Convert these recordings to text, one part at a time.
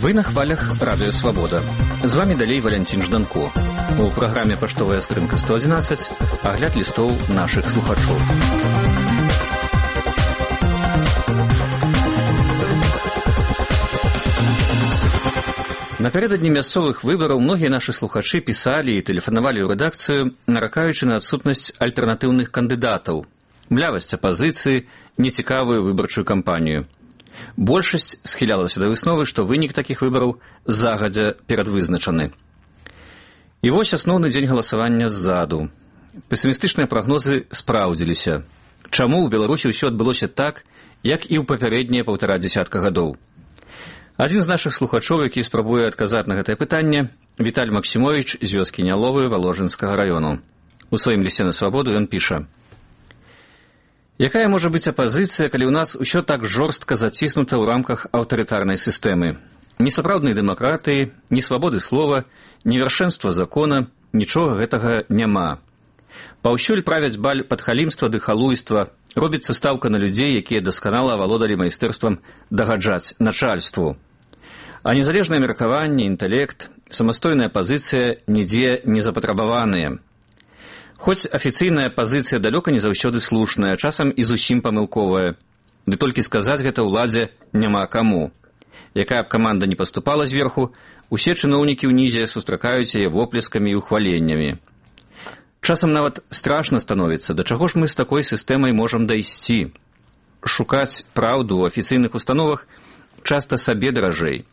Вы на хвалях Радио Свобода. З вами далей Валянцін Жданко. У праграме «Паштовая скрынка 111» агляд лістоў нашых слухачоў. Напярэдадні мясцовых выбараў многія нашы слухачы пісалі і тэлефанавалі ў рэдакцыю, наракаючы на адсутнасць альтэрнатыўных кандыдатаў, млявасць апазіцыі, нецікавую выбарчую кампанію. Большасць схілялася да высновы, што вынік такіх выбараў загадзя перадвызначаны. І вось асноўны дзень галасавання ззаду. Песімістычныя прагнозы спраўдзіліся. Чаму ў Беларусі ўсё адбылося так, як і ў папярэднія 1,5 гадоў? Адзін з нашых слухачоў, які спрабуе адказаць на гэтае пытанне, Віталь Максімовіч з вёскі Няловы Валожынскага раёну. У сваім лісце на свабоду ён піша: «Якая можа быць апазіцыя, калі ў нас усё так жорстка заціснута ў рамках аўтарытарнай сістэмы? Ні сапраўднай дэмакратыі, ні свабоды слова, ні вяршэнства закона, нічога гэтага няма. Паўсюль правяць баль падхалімства ды халуйства, робіцца стаўка на людзей, якія дасканала авалодалі майстэрствам дагаджаць начальству. А незалежнае меркаванне, інтэлект, самастойная пазіцыя нідзе не запатрабаваныя. Хоць афіцыйная пазіцыя далёка не заўсёды слушная, часам і зусім памылковая. Ды толькі сказаць гэта ўладзе няма каму. Якая б каманда не паступала зверху, усе чыноўнікі ўнізе сустракаюць яе воплескамі і ухваленнямі. Часам нават страшна становіцца, да чаго ж мы з такой сістэмай можам дайсці. Шукаць праўду ў афіцыйных установах часта сабе даражэй.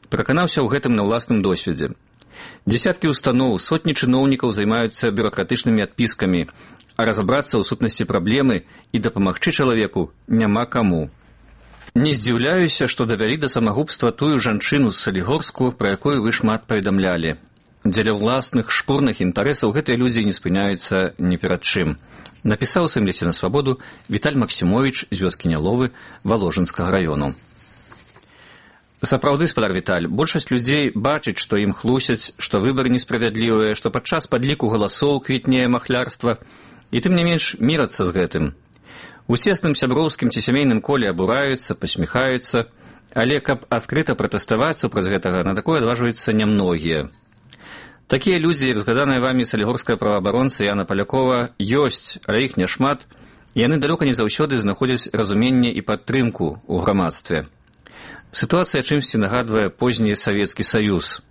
Пераканаўся ў гэтым на ўласным досведзе. Дзесяткі устаноў, сотні чыноўнікаў займаюцца бюракратычнымі адпіскамі, а разабрацца ў сутнасці праблемы і дапамагчы чалавеку няма каму. Не здзіўляюся, што давялі да самагубства тую жанчыну з Салігорску, пра якую вы шмат паведамлялі. Дзеля ўласных шкурных інтарэсаў гэтыя людзі не спыняюцца ні перад чым. Напісаў у сваім лісце на свабоду Віталь Максімовіч з вёскі Няловы Валожынскага раёну. Сапраўды, спадар Віталь, большасць людзей бачыць, што ім хлусяць, што выбары несправядлівыя, што падчас падліку галасоў квітнее махлярства, і тым не менш мірацца з гэтым. У цесным сяброўскім ці сямейным коле абураюцца, пасміхаюцца, але каб адкрыта пратэставаць супраць гэтага, на такое адважваюцца нямногія. Такія людзі, як згаданая вамі салігорская праваабаронца Яна Палякова, ёсць, але іх няшмат, і яны далёка не заўсёды знаходзяць разуменне і падтрымку ў грамадстве. Сітуацыя чымсьці нагадвае позні Савецкі Саюз.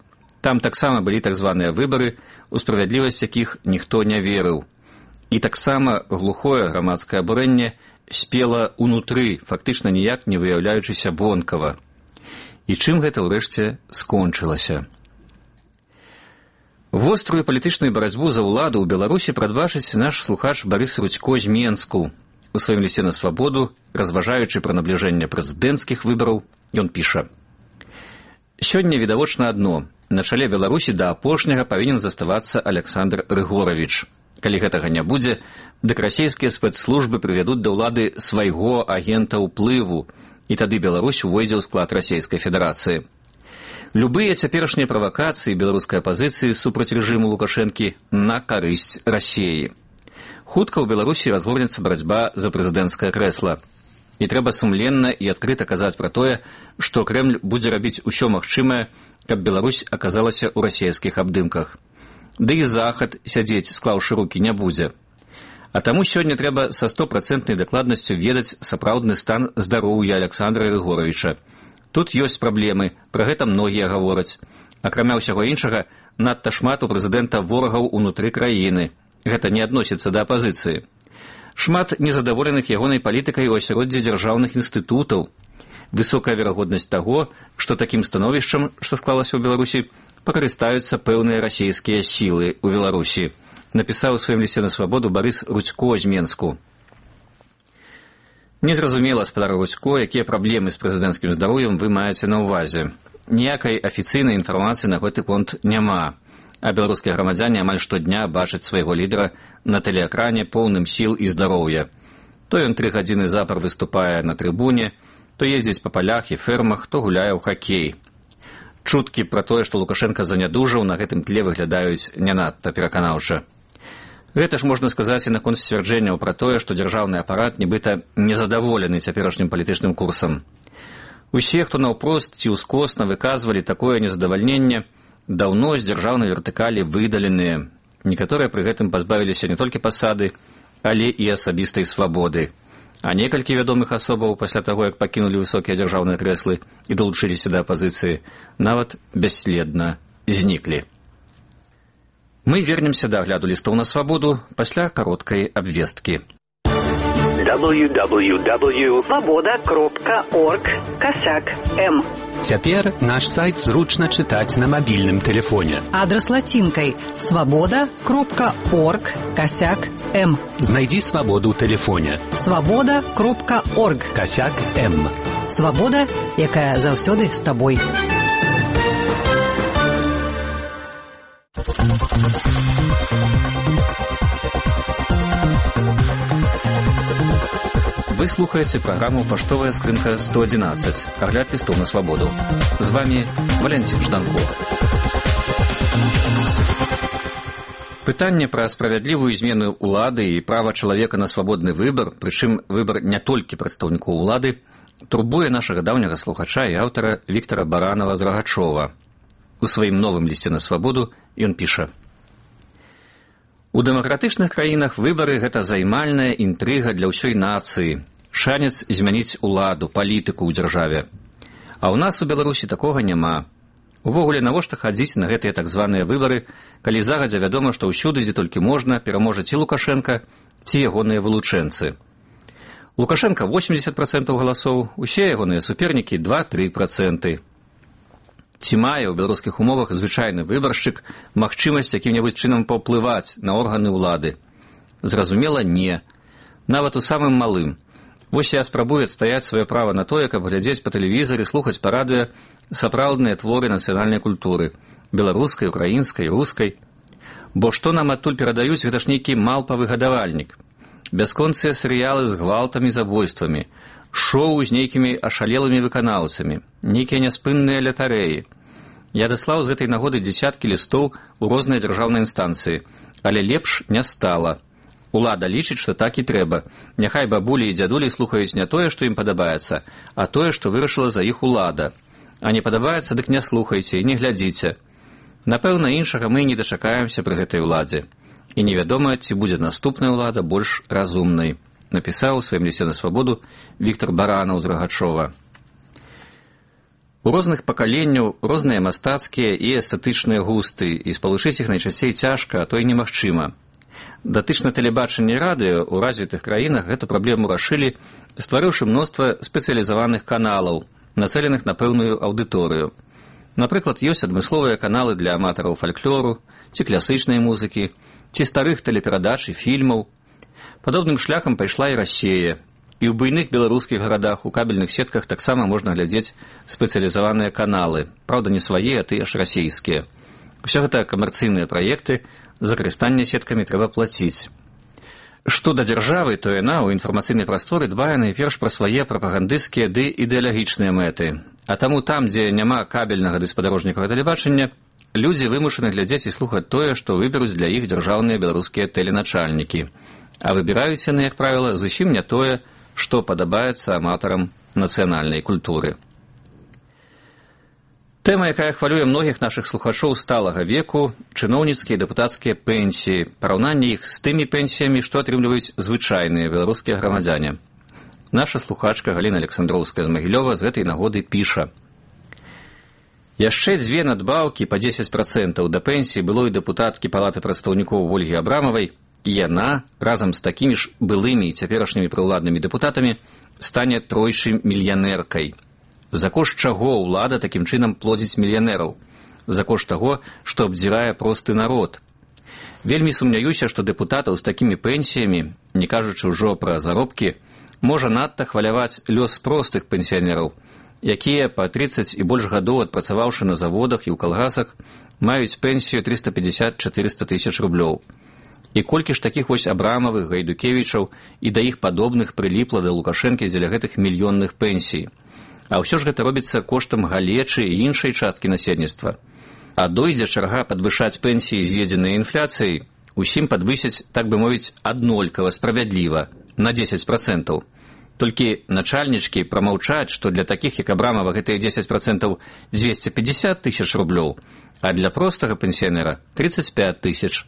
Там таксама былі так званыя выбары, у справядлівасць якіх ніхто не верыў. І таксама глухое грамадскае абурэнне спела ўнутры, фактычна ніяк не выяўляючыся вонкава. І чым гэта ўрэшце скончылася? Вострую палітычную барацьбу за ўладу ў Беларусі прадбачыць наш слухач Барыс Рудзько з Менску. У сваім лісце на свабоду, разважаючы пра набліжэнне прэзідэнцкіх выбараў, ён піша: «Сёння відавочна адно. На чале Беларусі да апошняга павінен заставацца Аляксандр Рыгоравіч. Калі гэтага не будзе, дык расійскія спецслужбы прывядуць да ўлады свайго агента ўплыву, і тады Беларусь увойдзе ў склад Расійскай Федэрацыі. Любыя цяперашнія правакацыі беларускай апазіцыі супраць рэжыму Лукашэнкі на карысць Расіі. Хутка ў Беларусі разгорнецца барацьба за прэзідэнцкае крэсла. І трэба сумленна і адкрыта казаць пра тое, што Крэмль будзе рабіць усё магчымае, каб Беларусь аказалася ў расійскіх абдымках. Ды і Захад сядзець, склаўшы рукі, не будзе. А таму сёння трэба са 100% дакладнасцю ведаць сапраўдны стан здароўя Аляксандра Рыгоравіча. Тут ёсць праблемы, пра гэта многія гавораць. Акрамя ўсяго іншага, надта шмат у прэзідэнта ворагаў унутры краіны. Гэта не адносіцца да апазіцыі. Шмат незадаволеных ягонай палітыкай у асяроддзі дзяржаўных інстытутаў. Высокая верагоднасць таго, што такім становішчам, што склалася ў Беларусі, пакарыстаюцца пэўныя расійскія сілы ў Беларусі. Напісаў у сваім лісце на свабоду Барыс Рудзько з Менску. Незразумела, спадар Рудзько, якія праблемы з прэзідэнцкім здароўем вы маеце на ўвазе. Ніякай афіцыйнай інфармацыі на гэты конт няма. А беларускія грамадзяне амаль штодня бачаць свайго лідара на тэлеэкране поўным сіл і здароўя. То ён 3 гадзіны запар выступае на трыбуне, то ездзіць па палях і фермах, то гуляе ў хакей. Чуткі пра тое, што Лукашенка занядужаў, на гэтым тле выглядаюць не надта пераканаўча. Гэта ж можна сказаць і наконт сцвярджэнняў пра тое, што дзяржаўны апарат нібыта незадаволены цяперашнім палітычным курсам. Усе, хто наўпрост ці ўскосна выказвалі такое незадавальненне, даўно з дзяржаўнай вертыкалі выдаленыя. Некаторыя пры гэтым пазбавіліся не толькі пасады, але і асабістай свабоды. А некалькі вядомых асобаў пасля таго, як пакінулі высокія дзяржаўныя крэслы і далучыліся да апазіцыі, нават бясследна зніклі. Мы вернемся да агляду лістоў на свабоду пасля кароткай абвесткі. www.svoboda.org/m. Цяпер наш сайт зручна чытаць на мабільным тэлефоне. Адрас лацінкай svoboda.org/m. Знайдзі свабоду ў тэлефоне. svoboda.org/m. Свабода, якая заўсёды з табой. Вы слухаеце праграму «Паштовая скрынка 111». Агляд лістоў на свабоду. З вами Валентин Жданков. Пытанне пра справядлівую змену ўлады і права чалавека на свабодны выбар, прычым выбар не толькі прадстаўнікоў улады, турбуе нашага даўняга слухача і аўтара Віктара Баранова з Рагачова. У сваім новым лісце на свабоду ён піша: у дэмакратычных краінах выбары – гэта займальная інтрыга для ўсёй нацыі, шанец змяніць уладу, палітыку ў дзяржаве. А ў нас у Беларусі такога няма. Увогуле, навошта хадзіць на гэтыя так званыя выбары, калі загадзя вядома, што ўсюды, дзе толькі можна, пераможа ці Лукашенка, ці ягоныя вылучэнцы. Лукашенка 80% галасоў, усе ягоныя супернікі 2-3%. Ці мае ў беларускіх умовах звычайны выбаршчык магчымасць якім-небудзь чынам паўплываць на органы ўлады? Зразумела, не. Нават у самым малым. Вось я спрабую адстаяць сваё права на тое, каб глядзець па тэлевізары, слухаць па радыё сапраўдныя творы нацыянальнай культуры – беларускай, украінскай, рускай. Бо што нам адтуль перадаюць, гэта ж нейкі малпавы гадавальнік. Бясконцыя серыялы з гвалтамі, забойствамі, шоу з нейкімі ашалелымі выканаўцамі, нейкія няспынныя лятарэі. Я даслаў з гэтай нагоды дзесяткі лістоў у розныя дзяржаўныя інстанцыі, але лепш не стала. Улада лічыць, што так і трэба. Няхай бабулі і дзядулі слухаюць не тое, што ім падабаецца, а тое, што вырашыла за іх улада. А не падабаецца, дык не слухайце і не глядзіце. Напэўна, іншага мы не дачакаемся пры гэтай уладзе. І невядома, ці будзе наступная ўлада больш разумнай. Напісаў у сваім лісце на свабоду Віктар Баранаў з Рагачова. У розных пакаленняў розныя мастацкія і эстэтычныя густы, і спалучыць іх найчасцей цяжка, а то і немагчыма. Датычна тэлебачання і радыё ў развітых краінах гэту праблему рашылі, стварыўшы мноства спецыялізаваных каналаў, нацэленых на пэўную аўдыторыю. Напрыклад, ёсць адмысловыя каналы для аматараў фальклору, ці класычнай музыкі, ці старых тэлеперадач і фільмаў. Падобным шляхам пайшла і Расія. І ў буйных беларускіх гарадах у кабельных сетках таксама можна глядзець спецыялізаваныя каналы. Праўда, не свае, а тыя ж расійскія. Усё гэта камерцыйныя праекты, за карыстанне сеткамі трэба плаціць. Што да дзяржавы, то яна ў інфармацыйнай прасторы дбае найперш пра свае прапагандысцкія ды ідэалагічныя мэты. А таму там, дзе няма кабельнага ды спадарожнікавага тэлебачання, людзі вымушаны глядзець і слухаць тое, што выберуць для іх дзяржаўныя беларускія тэленачальнікі. А выбіраюць яны, як правіла, зусім не тое, што падабаецца аматарам нацыянальнай культуры. Тэма, якая хвалюе многіх нашых слухачоў сталага веку – чыноўніцкія і дэпутацкія пенсіі, параўнанне іх з тымі пенсіямі, што атрымліваюць звычайныя беларускія грамадзяне. Наша слухачка Галіна Александроўская з Магілёва з гэтай нагоды піша: яшчэ 2 надбаўкі па 10% да пенсіі былой дэпутаткі Палаты прадстаўнікоў Ольгі Абрамавай, і яна, разам з такімі ж былымі і цяперашнімі прыўладнымі дэпутатамі, стане тройчы мільянеркай. За кошт чаго ўлада такім чынам плодзіць мільянераў? За кошт таго, што абдзірае просты народ. Вельмі сумняюся, што дэпутатаў з такімі пенсіямі, не кажучы ўжо пра заробкі, можа надта хваляваць лёс простых пенсіянераў, якія па 30 і больш гадоў адпрацаваўшы на заводах і ў калгасах, маюць пенсію 350-400 тысяч рублёў. І колькі ж такіх вось Абрамавых, Гайдукевічаў і да іх падобных прыліпла да Лукашэнкі дзеля гэтых мільённых пенсій. А ўсё ж гэта робіцца коштам галечы і іншай часткі насельніцтва. А дойдзе чарга падвышаць пенсіі, з'едзеныя інфляцыяй, усім падвысяць, так бы мовіць, аднолькава справядліва, на 10%. Толькі начальнічкі прамаўчаць, што для такіх, як Абрамова, гэтыя 10% 250 тысяч рублёў, а для простага пенсіянера 35 тысяч.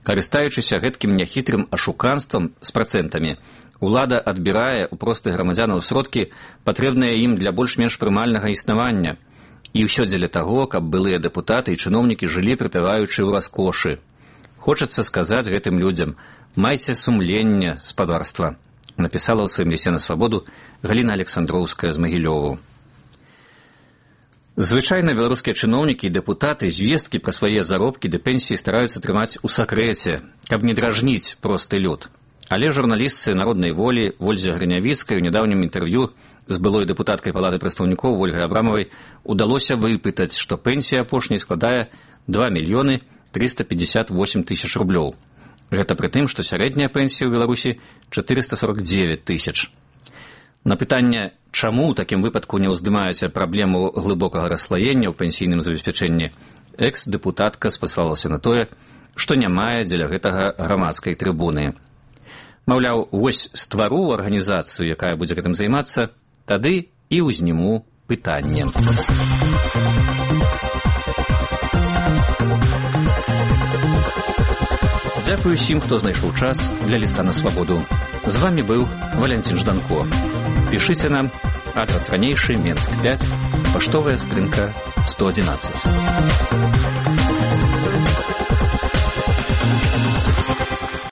Карыстаючыся гэткім няхітрым ашуканствам з працэнтамі, улада адбірае ў простых грамадзянаў сродкі, патрэбныя ім для больш-менш прымальнага існавання. І ўсё дзеля таго, каб былыя дэпутаты і чыноўнікі жылі прыпяваючы ў раскошы. Хочацца сказаць гэтым людзям: майце сумленне, спадарства, напісала ў сваім лісце на свабоду Галіна Александроўская з Магілёву. Звычайна беларускія чыноўнікі і дэпутаты звесткі пра свае заробкі ды пенсіі стараюцца трымаць у сакрэце, каб не дражніць просты люд. Але журналістцы Народнай волі Вользе Грынявіцкай у нядаўнім інтэрв'ю з былой дэпутаткай Палаты прадстаўнікоў Ольгай Абрамавай удалося выпытаць, што пенсія апошняй складае 2 мільёны 358 тысяч рублёў. Гэта пры тым, што сярэдняя пенсія ў Беларусі 449 тысяч. На пытанне, чаму ў такім выпадку не ўздымаеце праблему глыбокага расслаення ў пенсійным забеспячэнні, экс-дэпутатка спасылалася на тое, што не мае дзеля гэтага грамадскай трыбуны. Маўляў, вось ствару арганізацыю, якая будзе гэтым займацца, тады і ўзніму пытанне. Дзякую усім, хто знайшоў час для ліста на свабоду. З вамі быў Валянцін Жданко. Пішыце нам, адрас ранейшы, Менск 5, паштовая скрынка 111.